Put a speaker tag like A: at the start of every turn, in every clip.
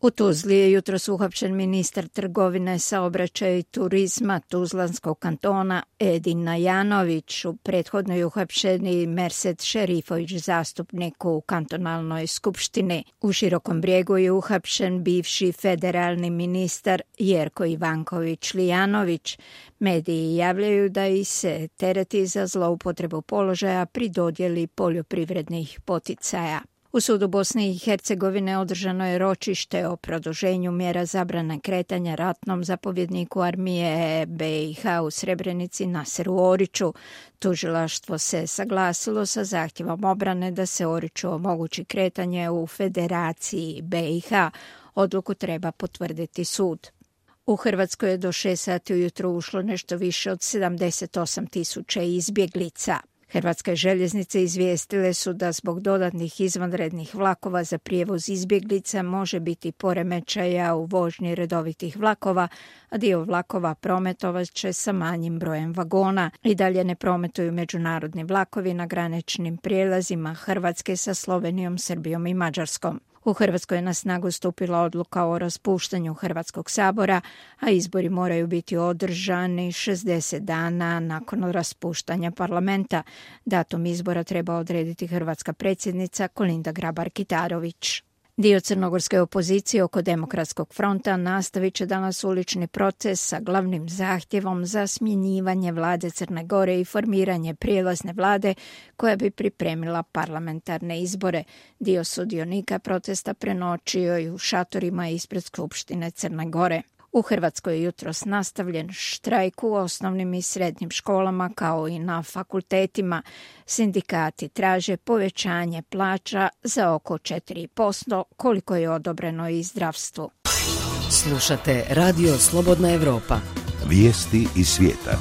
A: U Tuzli je jutros uhapšen ministar trgovine, saobraćaja i turizma Tuzlanskog kantona Edin Najanović. U prethodno je uhapšen i Mersed Šerifović, zastupnik u kantonalnoj skupštini. U Širokom Brijegu je uhapšen bivši federalni ministar Jerko Ivanković Lijanović. Mediji javljaju da ih se tereti za zloupotrebu položaja pri dodjeli poljoprivrednih poticaja. U sudu Bosne i Hercegovine održano je ročište o produženju mjera zabrane kretanja ratnom zapovjedniku armije BiH u Srebrenici Naseru Oriću. Tužilaštvo se saglasilo sa zahtjevom obrane da se Oriću omogući kretanje u Federaciji BiH. Odluku treba potvrditi sud. U Hrvatskoj je do 6 sati ujutro ušlo nešto više od 78.000 izbjeglica. Hrvatske željeznice izvijestile su da zbog dodatnih izvanrednih vlakova za prijevoz izbjeglica može biti poremećaja u vožnji redovitih vlakova, a dio vlakova prometovat će sa manjim brojem vagona. I dalje ne prometuju međunarodni vlakovi na graničnim prijelazima Hrvatske sa Slovenijom, Srbijom i Mađarskom. U Hrvatskoj je na snagu stupila odluka o raspuštanju Hrvatskog sabora, a izbori moraju biti održani 60 dana nakon raspuštanja parlamenta. Datum izbora treba odrediti hrvatska predsjednica Kolinda Grabar-Kitarović. Dio crnogorske opozicije oko Demokratskog fronta nastavit će danas ulični proces sa glavnim zahtjevom za smjenjivanje vlade Crne Gore i formiranje prijelazne vlade koja bi pripremila parlamentarne izbore. Dio sudionika protesta prenoćio i u šatorima ispred Skupštine Crne Gore. U Hrvatskoj je jutros nastavljen štrajk u osnovnim i srednjim školama kao i na fakultetima. Sindikati traže povećanje plaća za oko 4%, koliko je odobreno i zdravstvu.
B: Slušate Radio Slobodna Evropa.
C: Vijesti iz svijeta.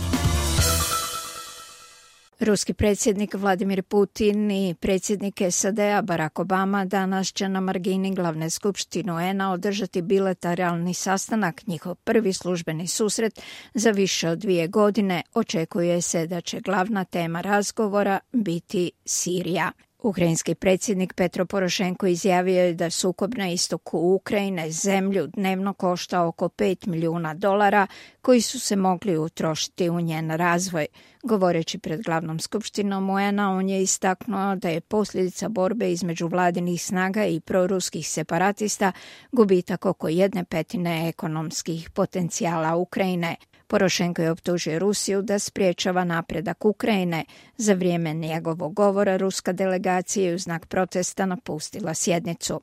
A: Ruski predsjednik Vladimir Putin i predsjednik SAD-a Barack Obama danas će na margini glavne skupštine UN-a održati bilateralni sastanak, njihov prvi službeni susret za više od 2 godine. Očekuje se da će glavna tema razgovora biti Sirija. Ukrajinski predsjednik Petro Porošenko izjavio je da sukob na istoku Ukrajine zemlju dnevno košta oko $5 milijuna koji su se mogli utrošiti u njen razvoj. Govoreći pred glavnom skupštinom UN-a, on je istaknuo da je posljedica borbe između vladinih snaga i proruskih separatista gubitak oko 1/5 ekonomskih potencijala Ukrajine. Porošenko je optužio Rusiju da spriječava napredak Ukrajine. Za vrijeme njegovog govora ruska delegacija je u znak protesta napustila sjednicu.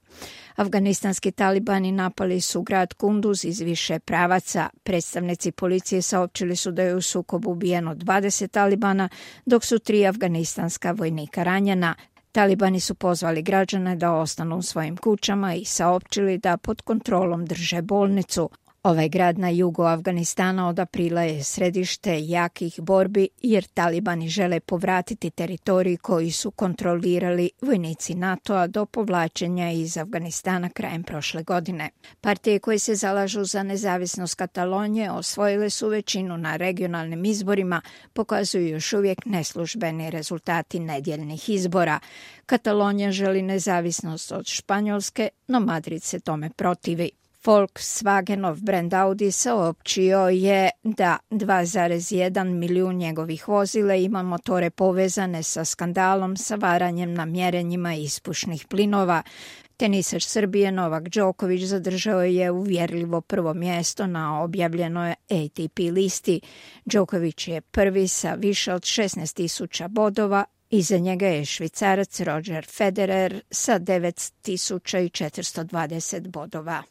A: Afganistanski talibani napali su grad Kunduz iz više pravaca. Predstavnici policije saopćili su da je u sukobu ubijeno 20 talibana, dok su 3 afganistanska vojnika ranjena. Talibani su pozvali građane da ostanu u svojim kućama i saopćili da pod kontrolom drže bolnicu. Ovaj grad na jugu Afganistana od aprila je središte jakih borbi jer talibani žele povratiti teritorij koji su kontrolirali vojnici NATO-a do povlačenja iz Afganistana krajem prošle godine. Partije koje se zalažu za nezavisnost Katalonije osvojile su većinu na regionalnim izborima, pokazuju još uvijek neslužbeni rezultati nedjeljnih izbora. Katalonija želi nezavisnost od Španjolske, no Madrid se tome protivi. Volkswagenov brand Audi saopćio je da 2,1 milijun njegovih vozila ima motore povezane sa skandalom sa varanjem na mjerenjima ispušnih plinova. Tenisač Srbije Novak Đoković zadržao je uvjerljivo prvo mjesto na objavljenoj ATP listi. Đoković je prvi sa više od 16.000 bodova. Iza njega je Švicarac Roger Federer sa 9.420 bodova.